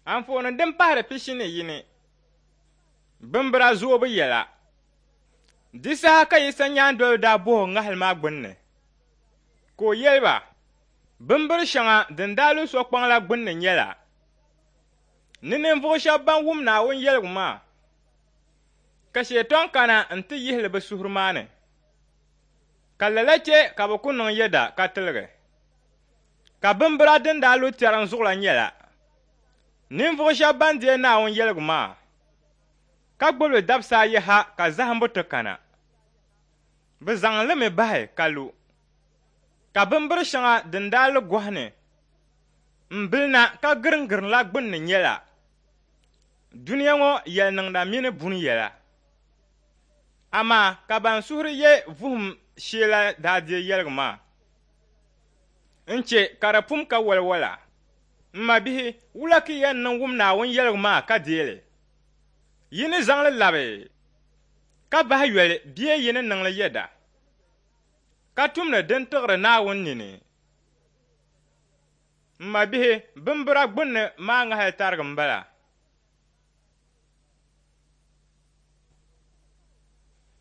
Anfooni din pahiri 21, Bimbira zoobu yɛla. Di saha ka Yisa nyaandoliba daa bɔh o ŋahili maa gbunni, ka o yɛli ba, Bimbir shɛŋa din daa lu sokpaŋ la gbunni nyɛla, ni ninvuɣ shɛb ban wum Naawuni yɛligu maa, ka Shetɔŋ kana nti yihi li bɛ suhuri maa ni, ka lala chɛ ka bɛ ku niŋ yɛda ka tiligi. Ka bimbira din daa lu tɛriŋ zuɣu la nyɛla, ninvuɣ shɛb ban deei Naawuni yɛligu maa, ka gbibi li dabisa ayi ha ka zahimbu ti kana. Bɛ zaŋ li mi bahi ka lu. Ka bimbir shɛŋa din daa lu gɔhi ni m-bili na ka giriŋgiriŋ la gbunni nyɛla, dunia ŋɔ yɛliniŋda mini buni yɛla. Amaa ka ban suhuri ye vuhim shee la daa deei yɛligu maa n-chɛ ka di pum ka waliwala. M mabihi, wula ka yi yɛn niŋ wum Naawuni yɛligu maa ka deei li? Yi ni zaŋ li labi ka bahi yoli bee yi ni niŋ li yɛda, ka tumdi din tiɣiri Naawuni nini? M mabihi, bimbira gbunni maa ŋahili tarigi m-bala.